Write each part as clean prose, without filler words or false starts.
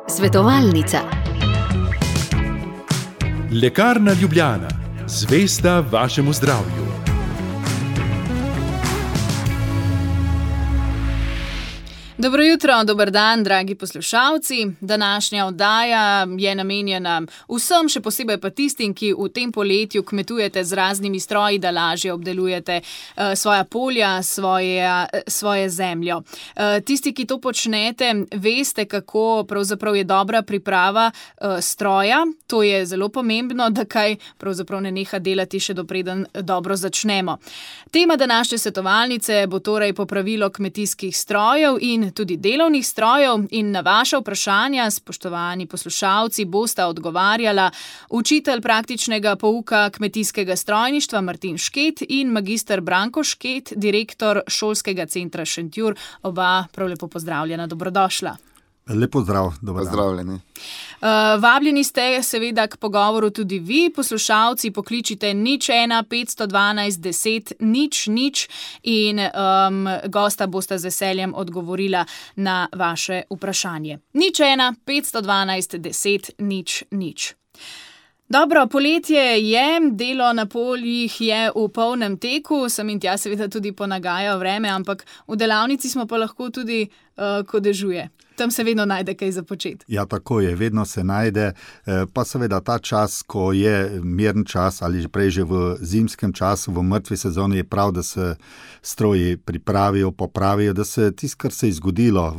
Svetovalnica. Lekarna Ljubljana, zvesta vašemu zdravju. Dobro jutro, dober dan, dragi poslušalci. Današnja oddaja je namenjena vsem, še posebej pa tistim, ki v tem poletju kmetujete z raznimi stroji, da lažje obdelujete svoja polja, svoje zemljo. Tisti, ki to počnete, veste, kako pravzaprav je dobra priprava stroja. To je zelo pomembno, da kaj pravzaprav ne neha delati še dopreden dobro začnemo. Tema današnje svetovalnice bo torej popravilo kmetijskih strojev in tudi delovnih strojev, in na vaša vprašanja, spoštovani poslušalci, bosta odgovarjala učitelj praktičnega pouka kmetijskega strojništva Martin Šket in magister Branko Šket, direktor Šolskega centra Šentjur. Oba prav lepo pozdravljena, dobrodošla. Lepo zdrav, dobro pozdravljeni. Vabljeni ste seveda k pogovoru tudi vi, poslušalci, pokličite 01 512 10 00 in gosta bosta z veseljem odgovorila na vaše vprašanje. 01 512 10 00. Dobro, poletje je, delo na poljih je v polnem teku, sem in tja seveda tudi ponagaja vreme, ampak v delavnici smo pa lahko tudi, ko dežuje. Tam se vedno najde kaj za početi. Ja, tako je, vedno se najde, pa seveda ta čas, ko je miren čas ali prej že v zimskem času, v mrtvi sezoni, je prav, da se stroji pripravijo, popravijo, da se tisto, kar se je zgodilo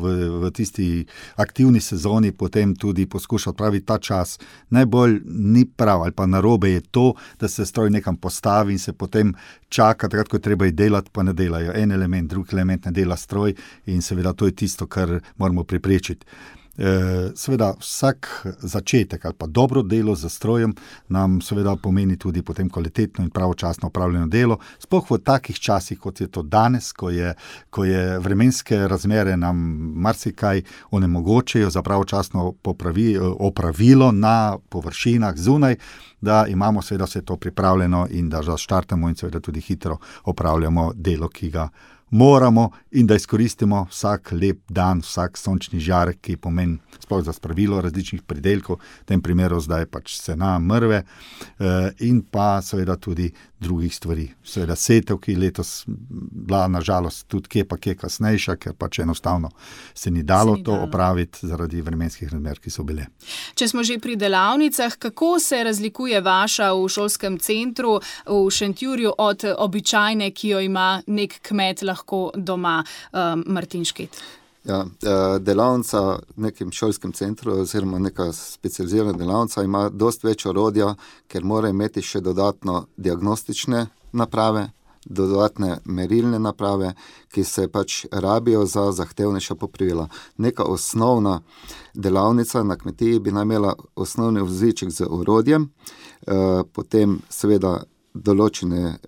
v tisti aktivni sezoni, potem tudi poskuša odpraviti ta čas. Najbolj ni prav ali pa narobe je to, da se stroj nekam postavi in se potem čaka, takrat, ko je treba delati, pa ne delajo. En element, drug element ne dela stroj in seveda to je tisto, kar moramo pripraviti. Seveda vsak začetek ali pa dobro delo z strojem nam seveda pomeni tudi potem kvalitetno in pravočasno opravljeno delo, sploh v takih časih, kot je to danes, ko je vremenske razmere nam marsikaj onemogočajo za pravočasno opravilo na površinah zunaj, da imamo seveda vse to pripravljeno in da zaštartamo in seveda tudi hitro opravljamo delo, ki ga moramo, in da izkoristimo vsak lep dan, vsak sončni žarek, ki pomeni sploh za spravilo različnih pridelkov, v tem primeru zdaj pač sena, mrve, in pa seveda tudi drugih stvari. Seveda setev, ki letos bila nažalost tudi kje kasnejša, ker pač enostavno se ni dalo to opraviti zaradi vremenskih razmer, ki so bile. Če smo že pri delavnicah, kako se razlikuje vaša v šolskem centru v Šentjurju od običajne, ki jo ima nek kmet lahko doma, Martin Šket? Ja, delavnica v nekem šolskem centru oziroma neka specializirana delavnica ima dosti več orodja, ker mora imeti še dodatno diagnostične naprave, dodatne merilne naprave, ki se pač rabijo za zahtevnejša popravila. Neka osnovna delavnica na kmetiji bi imela osnovni voziček z orodjem, potem seveda določene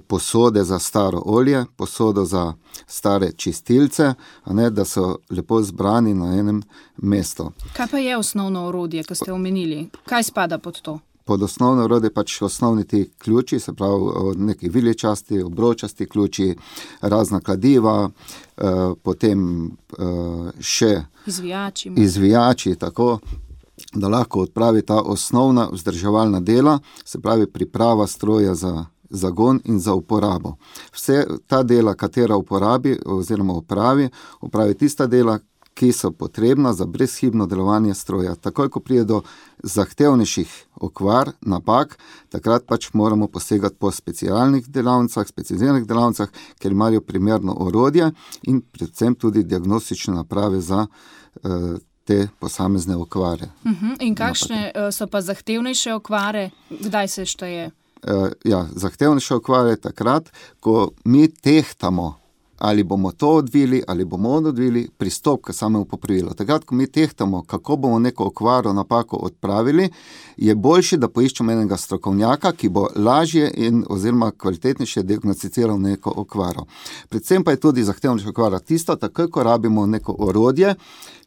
posode za staro olje, posodo za stare čistilce, a ne, da so lepo zbrani na enem mestu. Kaj pa je osnovno orodje, ko ste omenili? Kaj spada pod to? Pod osnovno orodje pač osnovni ti ključi, se pravi neki viličasti, obročasti ključi, razna kladiva, potem še izvijači, tako da lahko odpravi ta osnovna vzdrževalna dela, se pravi priprava stroja za zagon in za uporabo. Vse ta dela, katera uporabi oziroma opravi tista dela, ki so potrebna za brezhibno delovanje stroja. Takoj, ko pride do zahtevnejših okvar, napak, takrat pač moramo posegati po specializiranih delavnicah, ker imajo primerno orodje in predvsem tudi diagnostične naprave za te posamezne okvare. In kakšne so pa zahtevnejše okvare? Kdaj se šteje? Zahtevnejše okvare takrat, ko mi tehtamo, ali bomo to odvili, ali bomo odvili pristop k samemu popravilu. Takrat, ko mi tehtamo, kako bomo neko okvaro, napako odpravili, je boljše, da poiščemo enega strokovnjaka, ki bo lažje in oziroma kvalitetnejše diagnosticiral neko okvaro. Predvsem pa je tudi zahtevnejša okvara tisto, takoj, ko rabimo neko orodje,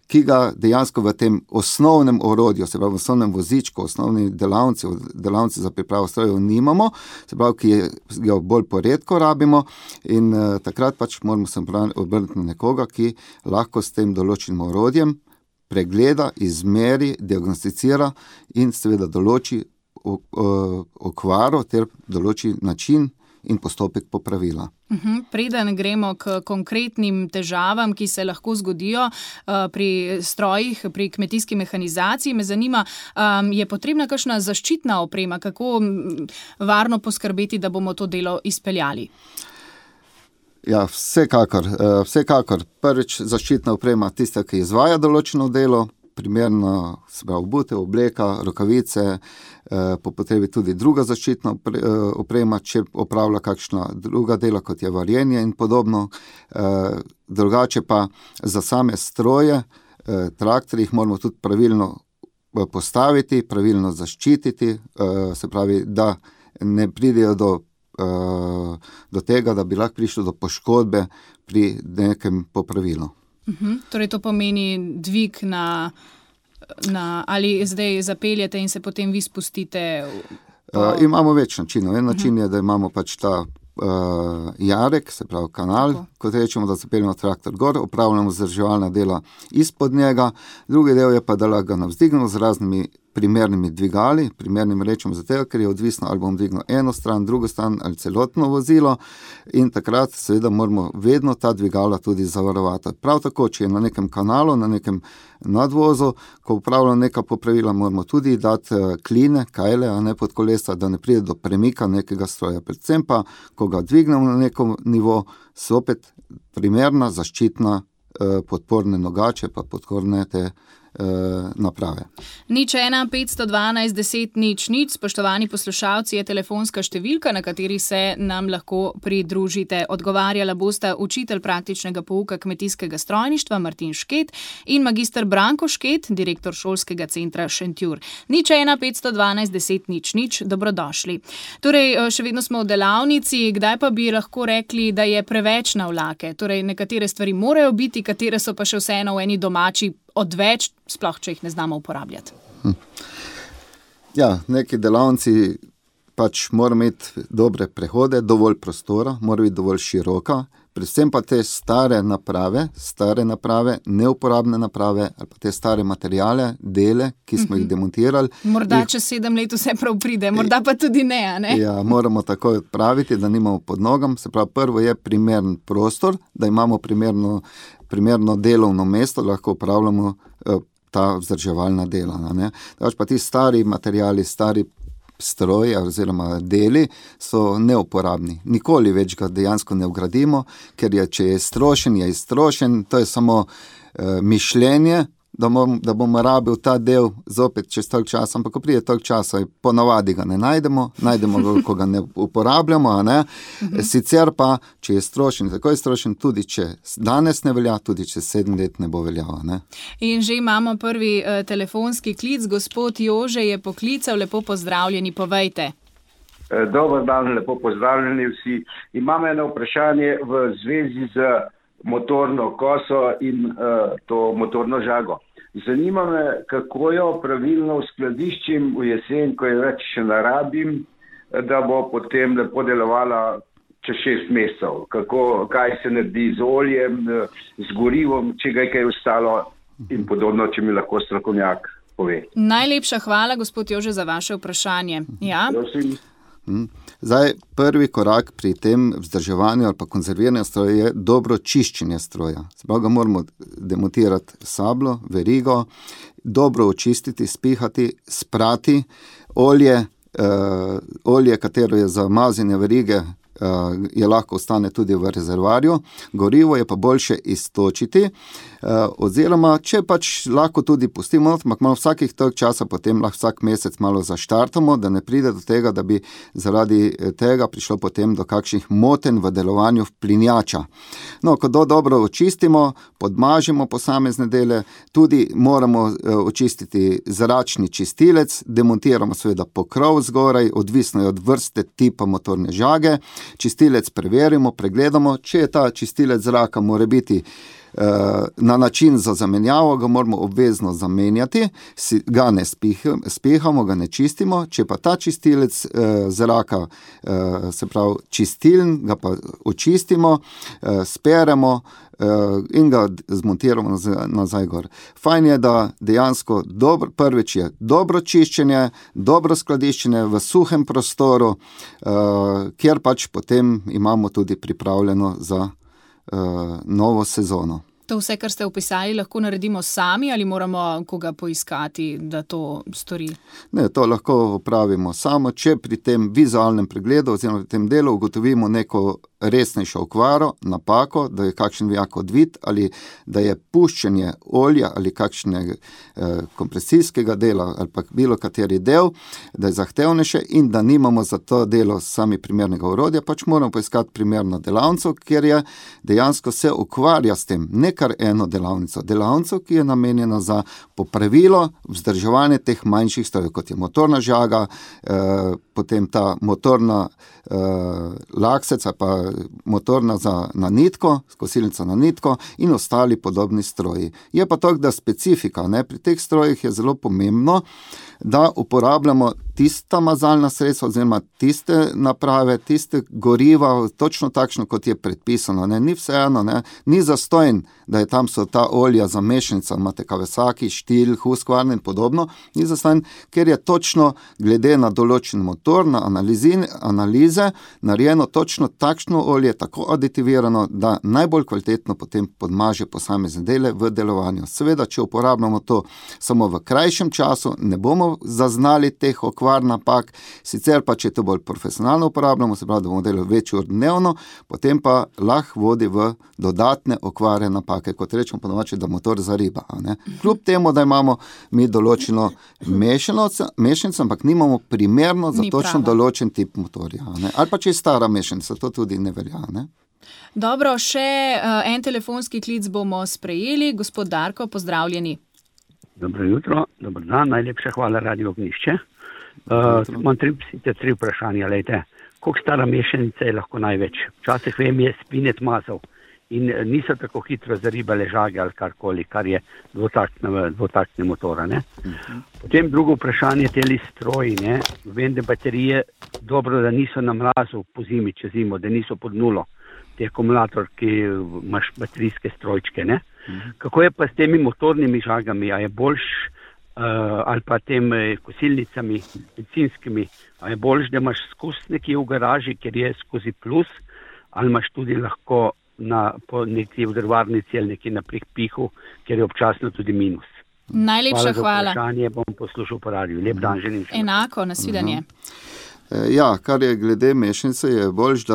ki ga dejansko v tem osnovnem orodju, se pravi v osnovnem vozičku, osnovni delavci za pripravo strojev nimamo, se pravi, ki ga bolj poredko rabimo in takrat pač moramo se obrniti na nekoga, ki lahko s tem določenim orodjem pregleda, izmeri, diagnosticira in seveda določi okvaro ter določi način in postopek popravila. Preden gremo k konkretnim težavam, ki se lahko zgodijo pri strojih, pri kmetijski mehanizaciji, me zanima, je potrebna kakšna zaščitna oprema, kako varno poskrbeti, da bomo to delo izpeljali? Ja, vsekakor. Prvič zaščitna oprema tista, ki izvaja določeno delo, primerno se pravi obutev, obleka, rokavice, po potrebi tudi druga zaščitna oprema, če opravlja kakšna druga dela, kot je varjenje in podobno. Drugače pa za same stroje, traktorji jih moramo tudi pravilno postaviti, pravilno zaščititi, se pravi, da ne pridejo do tega, da bi lahko prišlo do poškodbe pri nekem popravilu. Torej to pomeni dvig na ali zdaj zapeljete in se potem vi spustite? Imamo več načinov. En način je, da imamo pač ta jarek, se pravi kanal, kot rečemo, da zapeljemo traktor gor, opravljamo vzdrževalna dela izpod njega. Drugi del je pa, da lahko ga navzdignemo z raznimi primernimi dvigali, primernim rečemo zato, ker je odvisno, ali bom dvignil eno stran, drugo stran ali celotno vozilo in takrat seveda moramo vedno ta dvigala tudi zavarovati. Prav tako, če je na nekem kanalu, na nekem nadvozu, ko upravljamo neka popravila, moramo tudi dati kline, kajle, a ne pod kolesa, da ne pride do premika nekega stroja. Predvsem pa, ko ga dvignemo na neko nivo, so opet primerna, zaščitna, podporne nogače, pa podporne te naprave. 01 512 10 00, spoštovani poslušalci, je telefonska številka, na kateri se nam lahko pridružite. Odgovarjala bosta učitelj praktičnega pouka kmetijskega strojništva Martin Šket in magister Branko Šket, direktor šolskega centra Šentjur. 01 512 10 00, dobrodošli. Torej, še vedno smo v delavnici, kdaj pa bi lahko rekli, da je preveč navlake? Torej, nekatere stvari morajo biti, katere so pa še vseeno v eni domači odveč, sploh če jih ne znamo uporabljati. Ja, neki delavnici pač morajo imeti dobre prehode, dovolj prostora, mora biti dovolj široka, predvsem pa te stare naprave, neuporabne naprave ali pa te stare materijale, dele, ki smo jih demontirali. Morda čez 7 let vse prav pride, morda pa tudi ne, a ne? Ja, moramo takoj odpraviti, da nimamo pod nogam. Se pravi, prvo je primeren prostor, da imamo primerno delovno mesto, lahko upravljamo ta vzdrževalna dela. Pa ti stari materijali, stari stroji oziroma deli so neuporabni. Nikoli več ga dejansko ne vgradimo, ker če je iztrošen, to je samo mišljenje, da bomo rabili ta del zopet čez toliko časa, ampak ko pride toliko časa, ponavadi ga ne najdemo ga, ko ga ne uporabljamo, a ne. Sicer pa, če je strošen, tako je strošen, tudi če danes ne velja, tudi če 7 let ne bo veljal, ne. In že imamo prvi telefonski klic, gospod Jože je poklical, lepo pozdravljeni, povejte. Dober dan, lepo pozdravljeni vsi. Imam eno vprašanje v zvezi z motorno koso in to motorno žago. Zanima me, kako jo pravilno uskladiščim v jesen, ko je več še narabim, da bo potem lepo delovala čez 6 mesecev. Kaj se naredi z oljem, z gorivom, če ga je kaj ostalo in podobno, če mi lahko strokovnjak pove. Najlepša hvala, gospod Jože, za vaše vprašanje. Ja? Prosim. Zdaj, prvi korak pri tem vzdrževanju ali pa konzerviranju stroja je dobro čiščenje stroja. Zdaj ga moramo demontirati sablo, verigo, dobro očistiti, spihati, sprati. Olje, katero je za mazanje verige, je lahko ostane tudi v rezervarju. Gorivo je pa boljše iztočiti, oziroma če pač lahko tudi pustimo, ampak malo vsakih toliko časa potem lahko vsak mesec malo zaštartamo, da ne pride do tega, da bi zaradi tega prišlo potem do kakšnih motenj v delovanju plinjača. No, ko dobro očistimo, podmažimo posamezne dele, tudi moramo očistiti zračni čistilec, demontiramo seveda pokrov zgoraj, odvisno je od vrste tipa motorne žage. Čistilec preverimo, pregledamo, če je ta čistilec zraka mora biti na način za zamenjavo, ga moramo obvezno zamenjati, ga ne spehamo, ga ne čistimo, če pa ta čistilec zraka, se pravi čistiln, ga pa očistimo, speremo in ga zmontiramo nazaj gor. Fajn je, da dejansko prvič je dobro čiščenje, dobro skladiščenje v suhem prostoru, kjer pač potem imamo tudi pripravljeno za novo sezono. To vse, kar ste opisali, lahko naredimo sami ali moramo koga poiskati, da to stori? Ne, to lahko opravimo samo, če pri tem vizualnem pregledu oziroma pri tem delu ugotovimo neko resnejšo okvaro, napako, da je kakšen vijak odvit ali da je puščenje olja ali kakšnega kompresijskega dela ali pa bilo kateri del, da je zahtevnejše in da nimamo za to delo sami primernega orodja, pač moramo poiskati primerno delavnico, ker je dejansko se ukvarja s tem, ne kar eno delavnico, ki je namenjena za popravilo, vzdrževanje teh manjših strojev, kot je motorna žaga, potem ta motorna laksec ali pa motorna na nitko, kosilnica na nitko in ostali podobni stroji. Je pa to, da specifika, ne, pri teh strojih je zelo pomembno, da uporabljamo tista mazalna sredstva oziroma tiste naprave, tiste goriva, točno takšno, kot je predpisano. Ne. Ni vseeno, ne. Ni zastojn, da je tam so ta olja za mešanica, imate Kawasaki, Stihl, Husqvarna in podobno, ni zastojn, ker je točno glede na določen motor, na analize, narejeno točno takšno olje, tako aditivirano, da najbolj kvalitetno potem podmaže posamezne dele v delovanju. Seveda, če uporabljamo to samo v krajšem času, ne bomo zaznali teh okvar napak, sicer pa, če to bolj profesionalno uporabljamo, se pravi, da bomo delali več ur dnevno, potem pa lahko vodi v dodatne okvare napake, kot rečemo po domače, da motor zariba. Ne? Kljub temu, da imamo mi določeno mešanico, ampak nimamo primerno za točno določen tip motorja. Ne? Ali pa če je stara mešanica, to tudi ne velja. Ne? Dobro, še en telefonski klic bomo sprejeli. Gospod Darko, pozdravljeni. Dobro jutro, dober dan, najlepša hvala Radio Ognjišče. Imam tri vprašanja, lejte. Koliko stara mešanica je lahko največ? Včasih vem, je spinet mazal in niso tako hitro zaribale žage ali karkoli, kar je dvotaktne motora. Ne? Potem drugo vprašanje, teli stroji, ne? Vem, da baterije dobro, da niso na mrazu po zimi, čez zimo, da niso pod nulo. Te akumulator, ki imaš baterijske strojčke, ne? Kako je pa s temi motornimi žagami? A je boljš, ali pa tem kosilnicami, bencinskimi, a je boljš, da imaš skozi nekje v garaži, ker je skozi plus, ali imaš tudi lahko po nekje v drvarnici ali nekje na pihu, ker je občasno tudi minus. Najlepša hvala. Hvala za vprašanje, bom poslušal po radiju. Lep dan želim. Enako, nasvidenje. Ja, kar je glede mešanice, je boljš,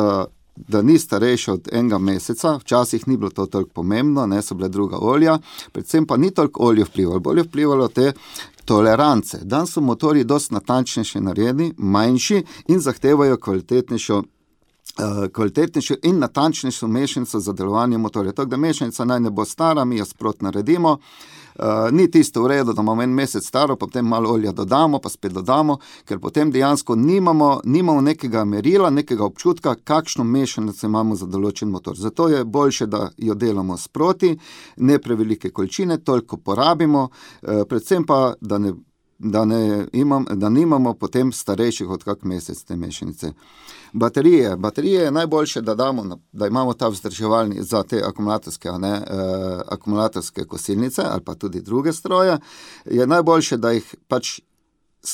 da ni starejša od enega meseca, včasih ni bilo to toliko pomembno, ne, so bile druga olja, predvsem pa ni toliko olje vplivalo, bolje vplivalo te tolerance. Danes so motorji dosti natančnejši narejeni, manjši in zahtevajo kvalitetnejšo in natančnejšo mešanico za delovanje motorja. Tako da mešanica naj ne bo stara, mi jo sprot naredimo. Ni tisto v redu, da imamo en mesec staro, potem malo olja dodamo, pa spet dodamo, ker potem dejansko nimamo nekega merila, nekega občutka, kakšno mešanico imamo za določen motor. Zato je boljše, da jo delamo sproti, ne prevelike količine, toliko porabimo, predvsem pa, da nimamo potem starejših od kak mesec te mešanice. Baterije je najboljše, da imamo ta vzdrževalni za te akumulatorske kosilnice ali pa tudi druge stroje. Je najboljše, da jih pač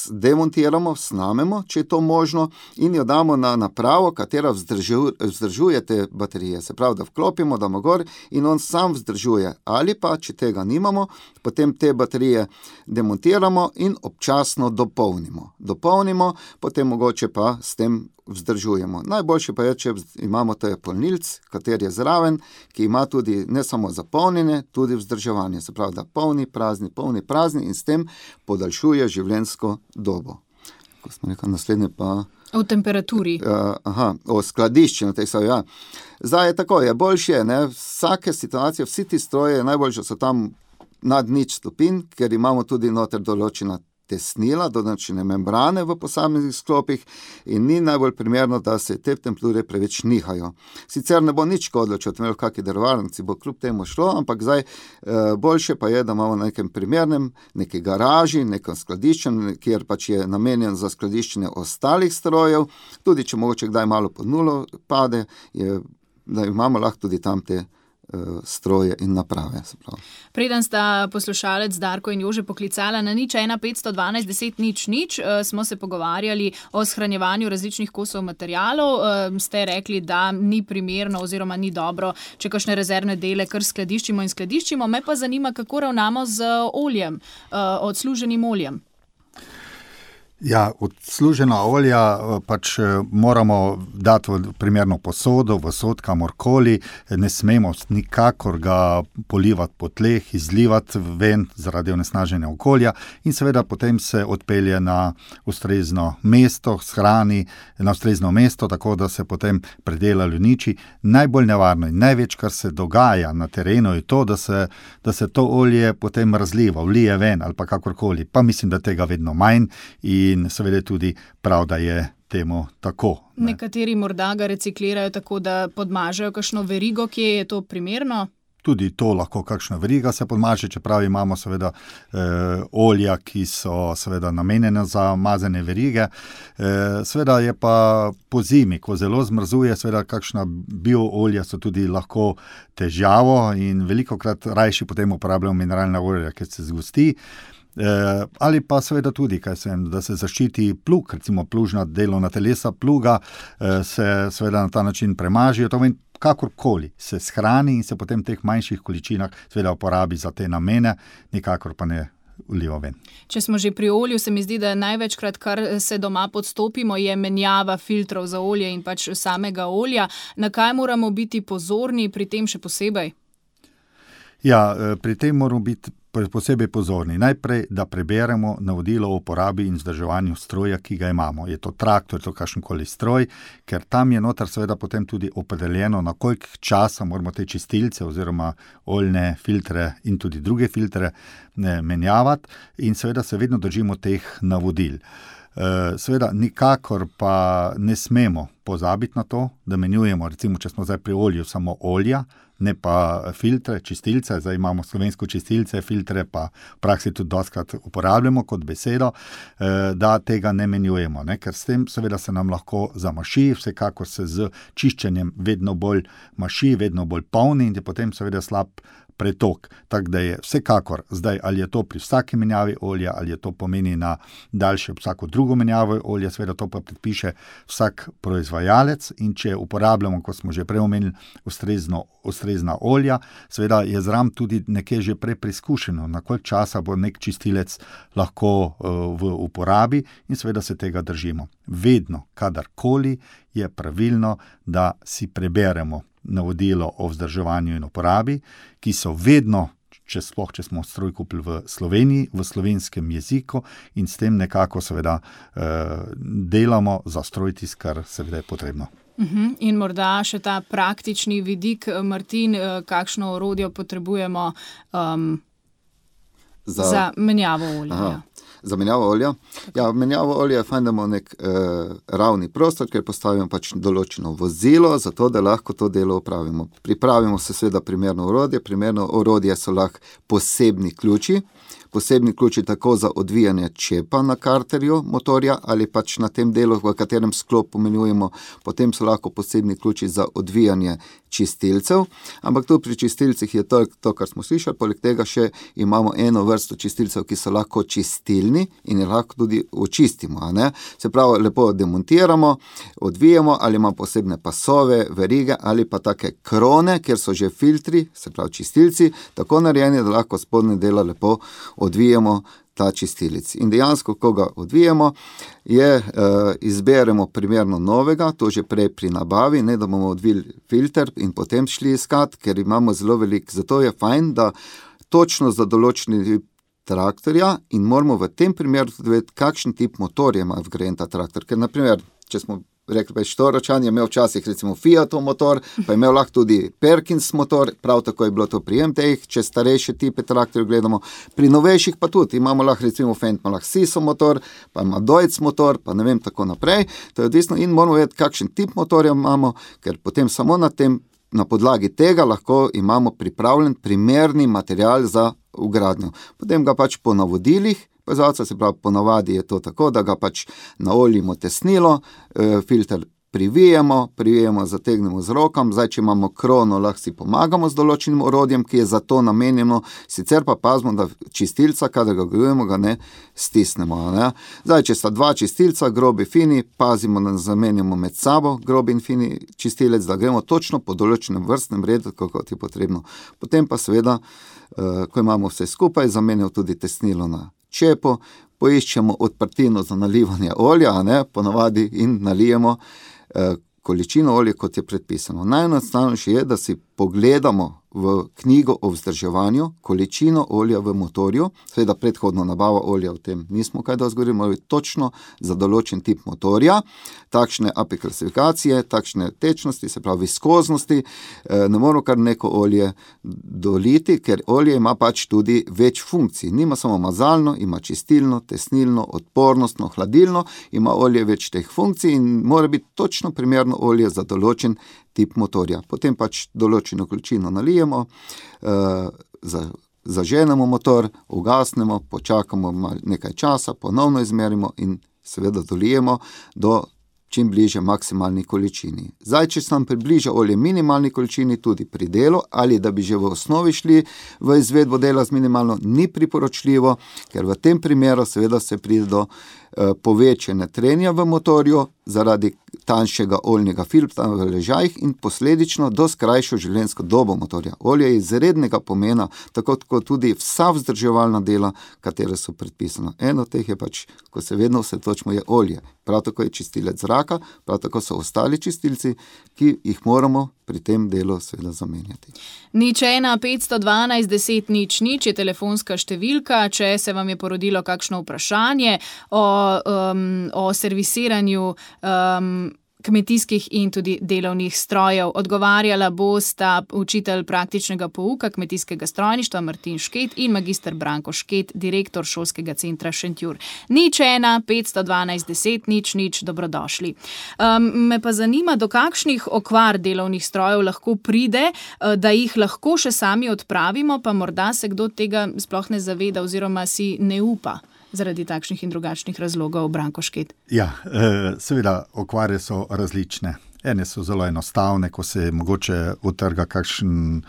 demontiramo, snamemo, če je to možno, in jo damo na napravo, katera vzdržuje te baterije. Se pravi, da vklopimo, damo gor in on sam vzdržuje. Ali pa, če tega nimamo, potem te baterije demontiramo in občasno dopolnimo, potem mogoče pa s tem vzdržujemo. Najboljše pa je, če imamo ta polnilc, kater je zraven, ki ima tudi ne samo zapolnjenje, tudi vzdrževanje. Se pravi, da polni, prazni in s tem podaljšuje življenjsko dobo. Ko smo rekli, naslednje pa... O temperaturi. O skladiščenju teh stvari, ja. Zdaj je tako, je boljše, ne, vsake situacije, vsi ti stroje, najboljše so tam nad 0 stopinj, ker imamo tudi noter določena tesnila, določene membrane v posameznih sklopih in ni najbolj primerno, da se te temperature preveč nihajo. Sicer ne bo nič škodilo, če odmel kakšni drvarnici, bo kljub temu šlo, ampak zdaj boljše pa je, da imamo na nekem primernem, neki garaži, nekem skladiščenju, kjer pač je namenjen za skladiščenje ostalih strojev, tudi če mogoče kdaj malo pod nulo pade, da imamo lahko tudi tam te stroje in naprave. Preden sta poslušalec Darko in Jože poklicala na 01 512 10 0 smo se pogovarjali o shranjevanju različnih kosov materialov. Ste rekli, da ni primerno oziroma ni dobro, če kakšne rezervne dele kar skladiščimo. Me pa zanima, kako ravnamo z oljem, odsluženim oljem. Ja, odslužena olja pač moramo dati v primerno posodo, v sod, kamorkoli, ne smemo nikakor ga polivati po tleh, izlivati ven zaradi onesnaženja okolja in seveda potem se odpelje na ustrezno mesto, shrani na ustrezno mesto, tako da se potem predela uniči. Najbolj nevarno in največ, kar se dogaja na terenu, je to, da se to olje potem razliva, vlije ven ali pa kakorkoli. Pa mislim, da tega vedno manj in seveda tudi prav, da je temu tako. Ne? Nekateri morda ga reciklirajo tako, da podmažejo kakšno verigo, kje je to primerno? Tudi to lahko kakšna veriga se podmaže, čeprav imamo seveda olja, ki so seveda namenjene za mazane verige. Seveda je pa po zimi, ko zelo zmrzuje, seveda kakšna bioolja so tudi lahko težavo in velikokrat rajši potem uporabljamo mineralna olja, ker se zgosti. Ali pa seveda tudi, da se zaščiti plug, recimo plužna delovna telesa pluga, se seveda na ta način premažijo, to meni kakorkoli se shrani in se potem v teh manjših količinah seveda uporabi za te namene, nikakor pa ne vliva ven. Če smo že pri olju, se mi zdi, da največkrat, kar se doma podstopimo, je menjava filtrov za olje in pač samega olja. Na kaj moramo biti pozorni pri tem še posebej? Ja, pri tem moramo biti posebej pozorni. Najprej, da preberemo navodilo o uporabi in vzdrževanju stroja, ki ga imamo. Je to traktor, je to kakšenkoli stroj, ker tam je noter seveda potem tudi opredeljeno, na koliko časa moramo te čistilce oziroma oljne filtre in tudi druge filtre menjavati in seveda se vedno držimo teh navodil. Seveda nikakor pa ne smemo pozabiti na to, da menjujemo, recimo, če smo zdaj pri olju, samo olja, ne pa filtre, čistilce, zdaj imamo slovensko čistilce, filtre pa v praksi tudi dostkrat uporabljamo kot besedo, da tega ne menjujemo, ne? Ker s tem seveda se nam lahko zamaši, vsekakor se z čiščenjem vedno bolj maši, vedno bolj polni in je potem seveda slab pretok. Tako da je vsekakor zdaj, ali je to pri vsaki menjavi olja, ali je to pomeni na daljše vsako drugo menjavo olja, seveda to pa predpiše vsak proizvajalec in če uporabljamo, kot smo že prej omenili, ustrezna olja, seveda je zraven tudi nekje že prej preizkušeno, na koliko časa bo nek čistilec lahko v uporabi in seveda se tega držimo. Vedno, kadarkoli je pravilno, da si preberemo navodilo o vzdrževanju in uporabi, ki so vedno, če smo stroj kupili v Sloveniji, v slovenskem jeziku in s tem nekako seveda delamo za stroj tisto, kar seveda je potrebno. In morda še ta praktični vidik, Martin, kakšno orodje potrebujemo za menjavo olja? Za menjavo olja? Ja, menjavo olja je fajn, da imamo nek ravni prostor, ker postavimo pač določeno vozilo, zato da lahko to delo opravimo. Pripravimo se seveda primerno orodje so lahko posebni ključi tako za odvijanje čepa na karterju motorja ali pač na tem delu, v katerem sklop pomenjujemo, potem so lahko posebni ključi za odvijanje čistilcev, ampak tu pri čistilcih je to, kar smo slišali, poleg tega še imamo eno vrsto čistilcev, ki so lahko čistilni in jih lahko tudi očistimo, a ne? Se pravi, lepo demontiramo, odvijemo ali imamo posebne pasove, verige ali pa take krone, kjer so že filtri, se pravi čistilci, tako narejeni, da lahko spodnje dela lepo odvijemo ta čistilec. In dejansko, ko ga odvijemo, izberemo primerno novega, to že prej pri nabavi, ne da bomo odvili filter in potem šli iskat, ker imamo zelo veliko. Zato je fajn, da točno za določeni traktorja in moramo v tem primeru tudi vedeti, kakšen tip motorja ima vgrajen ta traktor. Ker, naprimer, če smo rekli pa štoročan, je imel včasih recimo Fiatov motor, pa je imel lahko tudi Perkins motor, prav tako je bilo to pri MT-jih, če starejše tipe traktorjev gledamo, pri novejših pa tudi, imamo lahko recimo Fendt, ima lahko Siso motor, pa ima Deutz motor, pa ne vem tako naprej, to je odvisno in moramo vedeti, kakšen tip motorja imamo, ker potem samo na podlagi tega lahko imamo pripravljen primerni material za vgradnjo. Potem ga pač po navodilih, se pravi, ponavadi je to tako, da ga pač naoljimo tesnilo, filter privijemo, zategnemo z rokam, zdaj, če imamo krono, lahko si pomagamo z določenim orodjem, ki je za to namenjeno, sicer pa pazimo, da čistilca, kadar ga grujemo, ga ne stisnemo. Ne? Zdaj, če sta dva čistilca, grobi, fini, pazimo, da zamenjamo med sabo grobi in fini čistilec, da gremo točno po določenem vrstnem redu, kot je potrebno. Potem pa seveda, ko imamo vse skupaj, zamenjamo tudi tesnilo na čepo, poiščemo odprtino za nalivanje olja, ponavadi in nalijemo količino olja, kot je predpisano. Najenostavnejše je, da si pogledamo v knjigo o vzdrževanju količino olja v motorju, seveda predhodno nabava olja v tem nismo kaj dosti govorili, moramo točno za določen tip motorja, takšne API klasifikacije, takšne tečnosti, se pravi viskoznosti, ne moramo kar neko olje doliti, ker olje ima pač tudi več funkcij, nima samo mazalno, ima čistilno, tesnilno, odpornostno, hladilno, ima olje več teh funkcij in mora biti točno primerno olje za določen tip motorja. Potem pač določeno količino nalijemo, zaženemo motor, ugasnemo, počakamo nekaj časa, ponovno izmerimo in seveda dolijemo do čim bliže maksimalni količini. Zdaj, če se nam približa olje minimalni količini tudi pri delu ali da bi že v osnovi šli v izvedbo dela z minimalno, ni priporočljivo, ker v tem primeru seveda se pride do povečanja trenja v motorju zaradi tanjšega oljnega filtra v ležajih in posledično do skrajšo življenjsko dobo motorja. Olje je izrednega pomena, tako kot tudi vsa vzdrževalna dela, katere so predpisana. Eno od teh je pač, ko se vedno vse točimo, je olje. Prav tako je čistilec zraka, prav tako so ostali čistilci, ki jih moramo pri tem delu seveda zamenjati. 01 512 10 00 je telefonska številka, če se vam je porodilo kakšno vprašanje o servisiranju kmetijskih in tudi delovnih strojev. Odgovarjala bosta učitelj praktičnega pouka kmetijskega strojništva Martin Šket in magister Branko Šket, direktor šolskega centra Šentjur. 01 512 10 00, dobrodošli. Me pa zanima, do kakšnih okvar delovnih strojev lahko pride, da jih lahko še sami odpravimo, pa morda se kdo tega sploh ne zaveda oziroma si ne upa zaradi takšnih in drugačnih razlogov, Branko Šket. Ja, seveda okvare so različne. Ene so zelo enostavne, ko se mogoče utrga kakšen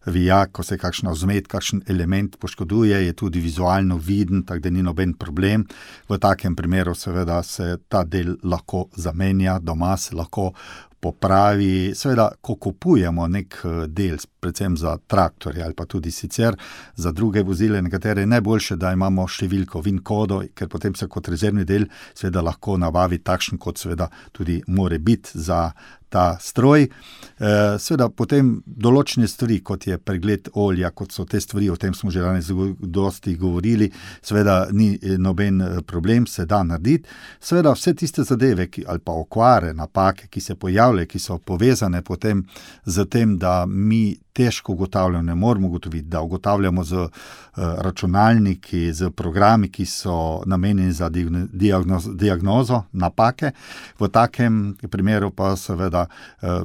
vijak, ko se kakšna vzmet, kakšen element poškoduje, je tudi vizualno viden, tako da ni noben problem. V takem primeru seveda se ta del lahko zamenja, doma se lahko popravi. Seveda, ko kupujemo nek del, predvsem za traktorje ali pa tudi sicer za druge vozile, nekatere je najboljše, da imamo številko VIN kodo, ker potem se kot rezervni del seveda lahko nabavi takšen, kot seveda tudi more biti za ta stroj. Seveda potem določene stvari, kot je pregled olja, kot so te stvari, o tem smo že danes dosti govorili, seveda ni noben problem, se da narediti. Seveda vse tiste zadeve, ali pa okvare, napake, ki se pojavljajo, ki so povezane potem z tem, da mi težko ugotavljamo, ne moramo ugotoviti, da ugotavljamo z računalniki, z programi, ki so namenjeni za diagnozo napake. V takem primeru pa seveda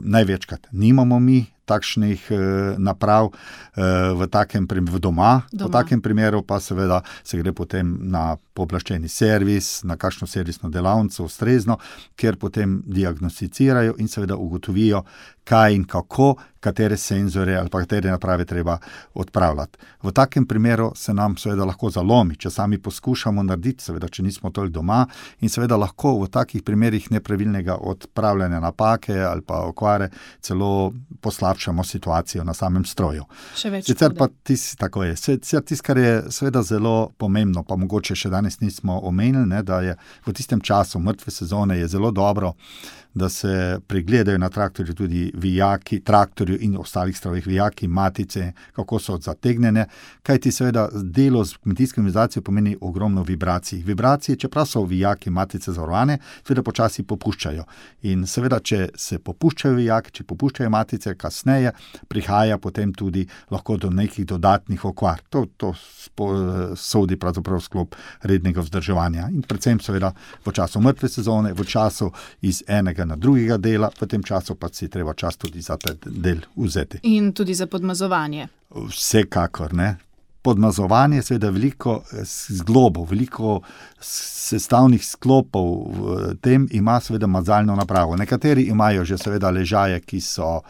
največkrat nimamo mi takšnih naprav v takem primeru doma. V takem primeru pa seveda se gre potem na pooblaščeni servis, na kakšno servisno delavnico ustrezno, kjer potem diagnosticirajo in seveda ugotovijo, kaj in kako, katere senzore ali pa katere naprave treba odpravljati. V takem primeru se nam seveda lahko zalomi, če sami poskušamo narediti, seveda, če nismo toliko doma, in seveda lahko v takih primerih nepravilnega odpravljanja napake ali pa okvare celo poslabšamo poslabšamo situacijo na samem stroju. Še več Sicer škode. pa tako je. Tisto, kar je seveda zelo pomembno, pa mogoče še danes nismo omenili, ne, da je v tistem času mrtve sezone je zelo dobro, da se pregledajo na traktorju tudi vijaki, traktorju in ostalih strojih vijaki, matice, kako so zategnjene, kajti seveda delo z kmetijsko mehanizacijo pomeni ogromno vibracij. Vibracije, čeprav so vijaki, matice zavarovane, seveda počasi popuščajo. In seveda, če se popuščajo vijaki, če popuščajo matice, kasneje prihaja potem tudi lahko do nekih dodatnih okvar. To sodi pravzaprav sklop rednega vzdrževanja. In predvsem seveda v času mrtve sezone, v času iz enega na drugega dela, v tem času pa si treba čas tudi za ta del vzeti. In tudi za podmazovanje. Vsekakor, ne. Podmazovanje je seveda veliko zglobov, veliko sestavnih sklopov v tem ima seveda mazalno napravo. Nekateri imajo že seveda ležaje, ki so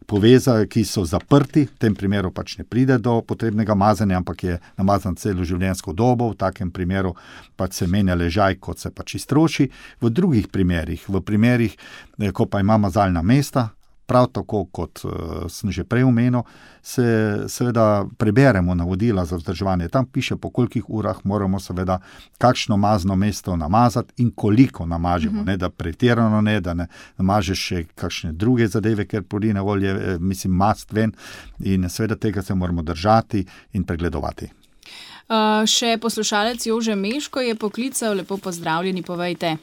povezani, ki so zaprti, v tem primeru pač ne pride do potrebnega mazanja, ampak je namazan celo življenjsko dobo, v takem primeru pač se menja ležaj, kot se pač iztroši. V drugih primerih, ko pa ima mazalna mesta, prav tako kot sem že prej omenil, se seveda preberemo navodila za vzdrževanje. Tam piše, po kolikih urah moramo seveda kakšno mazno mesto namazati in koliko namažemo, ne, da pretirano ne, da ne namažeš še kakšne druge zadeve, ker porine olje, mast ven, in seveda tega se moramo držati in pregledovati. Še poslušalec Jože Meško je poklical, lepo pozdravljeni, povejte.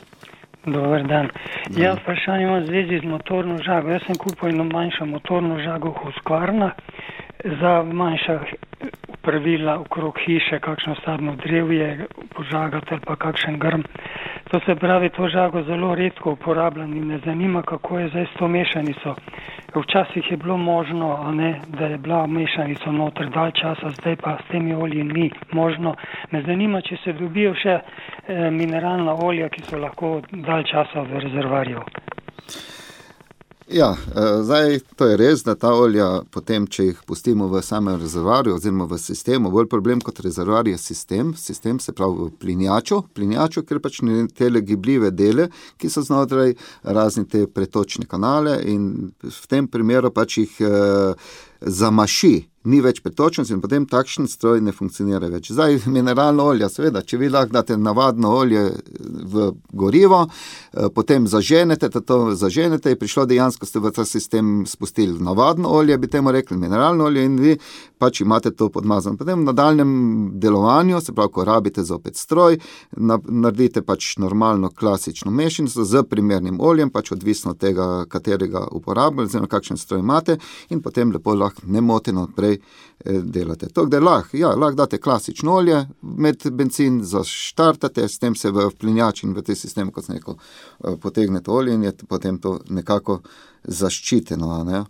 Dober dan. Ja, vprašanje imam v zvezi z motorno žago. Jaz sem kupil eno manjšo motorno žago v Husqvarna za manjša pravila okrog hiše, kakšno sadno drevje požagati ali pa kakšen grm. To se pravi, to žago zelo redko uporabljam in me zanima, kako je zdaj s to mešanico. Včasih je bilo možno, da je bila mešanica noter dalj časa, zdaj pa s temi olji ni možno. Me zanima, če se dobijo še mineralna olja, ki so lahko dalj časa v rezervarju. Ja, zdaj to je res, da ta olja potem, če jih pustimo v samem rezervarju oziroma v sistemu, bolj problem kot rezervar je sistem se pravi v plinjaču, ker pač te gibljive dele, ki so znotraj razni te pretočne kanale in v tem primeru pač jih zamaši, ni več pretočnosti in potem takšen stroj ne funkcionira več. Zdaj, mineralno olje, seveda, če vi lahko date navadno olje v gorivo, potem zaženete, je prišlo dejansko, ste v ta sistem spustili navadno olje, bi temu rekli mineralno olje in vi pač imate to podmazano. Potem v nadaljnjem delovanju, se pravi, ko rabite zopet stroj, naredite pač normalno klasično mešanico z primernim oljem, pač odvisno od tega, katerega uporabljate, oziroma kakšen stroj imate in potem lepo lahko nemoteno odprej delate. To, da lahko date klasično olje, med benzin zaštartate, s tem se v plinjač in v te sistem, kot sem rekel, potegnete olje in je potem to nekako zaščiteno. Ne?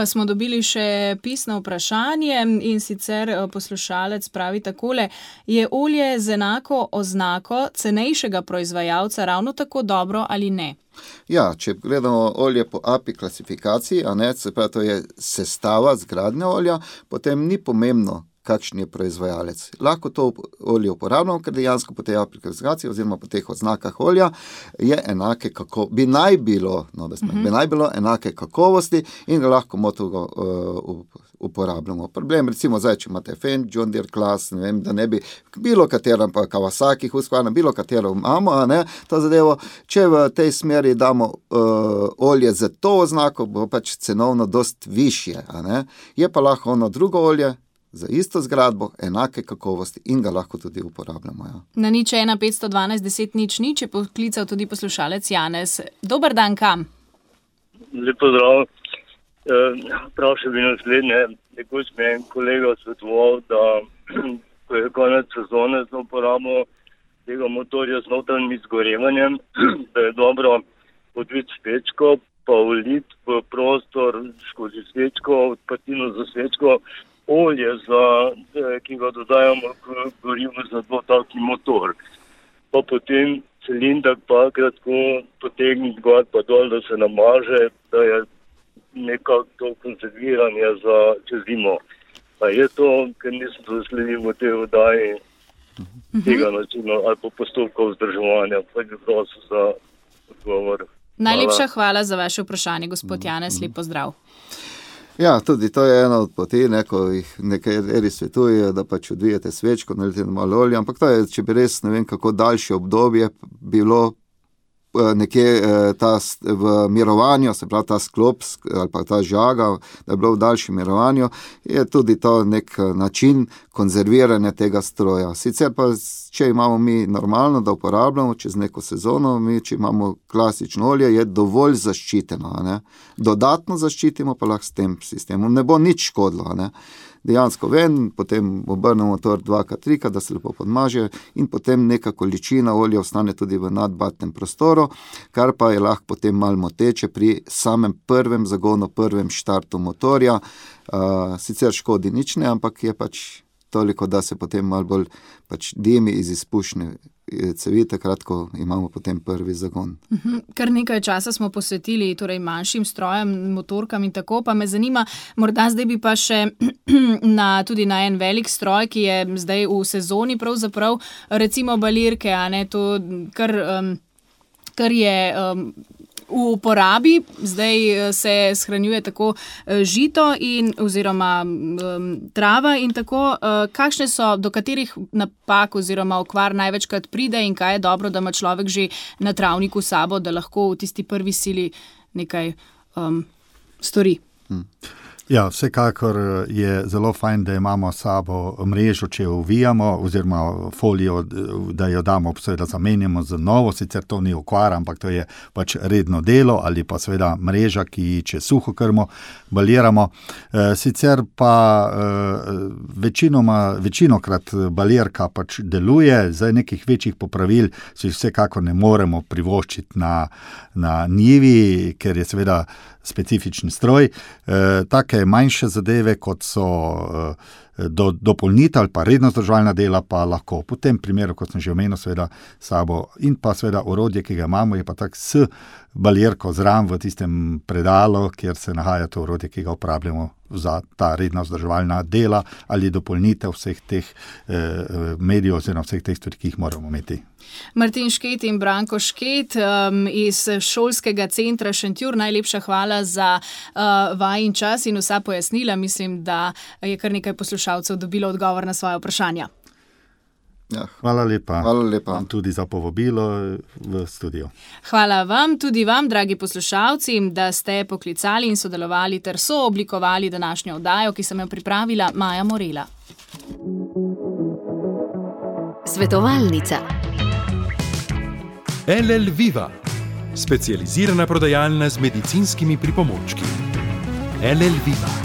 Smo dobili še pisno vprašanje in sicer poslušalec pravi takole: je olje z enako oznako cenejšega proizvajalca ravno tako dobro ali ne? Ja, če gledamo olje po API klasifikaciji, se pravi, to je sestava zgradnja olja, potem ni pomembno, kakšen je proizvajalec. Lahko to olje uporabljamo, ker dejansko po tej API klasifikaciji oziroma po teh oznakah olja je enake bi naj bilo enake kakovosti in ga lahko motogo uporabljamo. Problem, recimo zdaj, če imate Fendt, John Deere Class, ne vem, da ne bi bilo katero, pa Kawasaki, Husqvarna, bilo katero imamo, to zadevo, če v tej smeri damo olje za to oznako, bo pač cenovno dost višje, je pa lahko ono drugo olje za isto zgradbo, enake kakovosti in ga lahko tudi uporabljamo. Ja. Na 01 512 10 0 je poklical tudi poslušalec Janez. Dober dan, kam? Lep pozdrav. Vprašal bi naslednje. Nekoč mi je en kolega svetoval, da ko je konec sezone za uporabo tega motorja z notranjim izgorevanjem, da je dobro odviti svečko, pa vliti v prostor skozi svečko, odprtino za svečko, olje, ki ga dodajamo k gorivu za dvotalni motor. Pa potem cilindr pa kratko potegniti gor pa dol, da se namaže, da je nekako to konzerviranje za čez zimo. Pa je to, ker nisem zasledil v tej oddaji tega načina ali pa postopka vzdrževanja. Pa je prosil za odgovor. Najlepša hvala za vaše vprašanje, gospod Janez, lep pozdrav. Ja, tudi to je ena od poti, ko jih nekateri svetujejo, da pač odvijete svečko, nalijete malo olja, ampak to je, če bi res, ne vem kako daljše obdobje bilo nekje v mirovanju, se pravi ta sklop ali pa ta žaga, da je bilo v daljšem mirovanju, je tudi to nek način konzerviranja tega stroja. Sicer pa, če imamo mi normalno, da uporabljamo čez neko sezono, mi, če imamo klasično olje, je dovolj zaščiteno. Ne? Dodatno zaščitimo pa lahko s tem sistemom. Ne bo nič škodilo. Ne? Dejansko ven, potem obrnemo motor 2x3, da se lepo podmaže in potem neka količina olja ostane tudi v nadbatnem prostoru, kar pa je lahko potem malo moteče pri samem prvem zagonu, prvem štartu motorja. Sicer škodi nič ne, ampak je pač toliko, da se potem malo bolj pač dimi iz izpušne cevi, takrat, ko imamo potem prvi zagon. Kar nekaj časa smo posvetili torej manjšim strojem, motorkam in tako, pa me zanima, morda zdaj bi pa še tudi na en velik stroj, ki je zdaj v sezoni pravzaprav, recimo balirke, a ne, to kar je v uporabi, zdaj se shranjuje tako žito oziroma trava in tako. Kakšne so, do katerih napak oziroma okvar največkrat pride in kaj je dobro, da ima človek že na travniku sabo, da lahko v tisti prvi sili nekaj stori? Ja, vsekakor je zelo fajn, da imamo sabo mrežo, če jo uvijamo, oziroma folijo, da jo damo, seveda zamenjamo z novo, sicer to ni okvara, ampak to je pač redno delo, ali pa seveda mreža, ki če suho krmo baliramo. Sicer pa večinokrat balirka pač deluje, zdaj nekih večjih popravil si vsekakor ne moremo privoščiti na njivi, ker je seveda specifičen stroj. Take manjše zadeve, kot so dopolnitev ali pa redno vzdrževalna dela, pa lahko po tem primeru, kot sem že omenil, seveda sabo in pa seveda orodje, ki ga imamo, je pa tak s balirko zraven v tistem predalu, kjer se nahaja to orodje, ki ga uporabljamo za ta redna vzdrževalna dela ali dopolnitev vseh teh medijev oziroma vseh teh stvari, ki jih moramo imeti. Martin Šket in Branko Šket iz Šolskega centra Šentjur, najlepša hvala za vajin čas in vsa pojasnila. Mislim, da je kar nekaj poslušalcev dobilo odgovor na svoje vprašanja. Ja, hvala lepa. Hvala lepa. Tudi za povabilo v studio. Hvala vam, tudi vam, dragi poslušalci, da ste poklicali in sodelovali ter sooblikovali današnjo oddajo, ki sem jo pripravila Maja Morela. Svetovalnica. LL Viva, specializirana prodajalna z medicinskimi pripomočki. LL Viva.